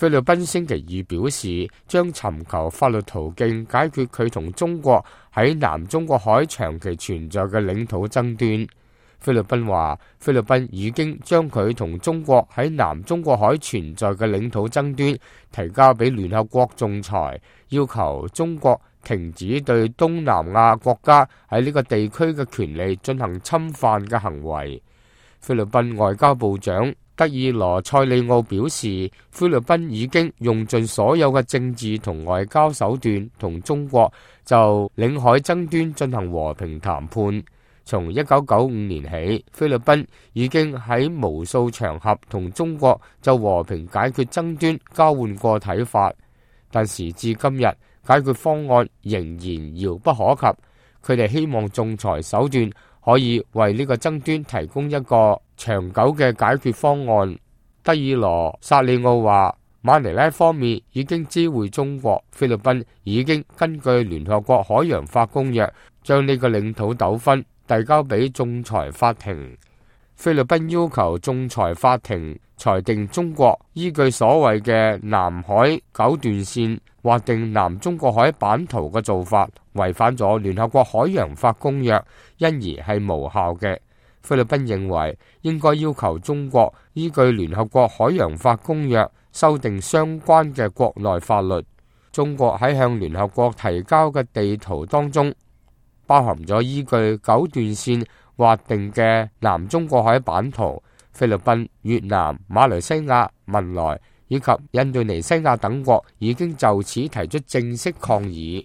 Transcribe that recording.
菲律賓星期二表示，將尋求法律途徑解決佢同中國喺南中國海長期存在嘅領土爭端。菲律賓話，菲律賓已經將佢同中國喺南中國海存在嘅領土爭端提交俾聯合國仲裁，要求中國停止對東南亞國家喺呢個地區嘅權利進行侵犯嘅行為。菲律賓外交部長德爾羅塞利奧表示，菲律賓已經用盡所有嘅政治同外交手段同中國就領海爭端進行和平談判。從1995年起，菲律賓已經喺無數場合同中國就和平解決爭端交換過睇法，但時至今日，解決方案仍然遙不可及。佢哋希望仲裁手段可以為呢個爭端提供一個長久嘅解決方案。德爾羅薩利奧話，馬尼拉方面已經知會中國，菲律賓已經根據聯合國海洋法公約將呢個領土糾紛遞交俾仲裁法庭。菲律賓要求仲裁法庭裁定中國依據所謂嘅南海九段線劃定南中國海版圖嘅做法違反咗聯合國海洋法公約，因而係無效嘅。菲律賓認為應該要求中國依據聯合國海洋法公約修訂相關嘅國內法律。中國喺向聯合國提交嘅地圖當中，包含咗依據九段線劃定嘅南中國海版圖。菲律賓、越南、馬來西亞、文萊以及印度尼西亞等國已經就此提出正式抗議。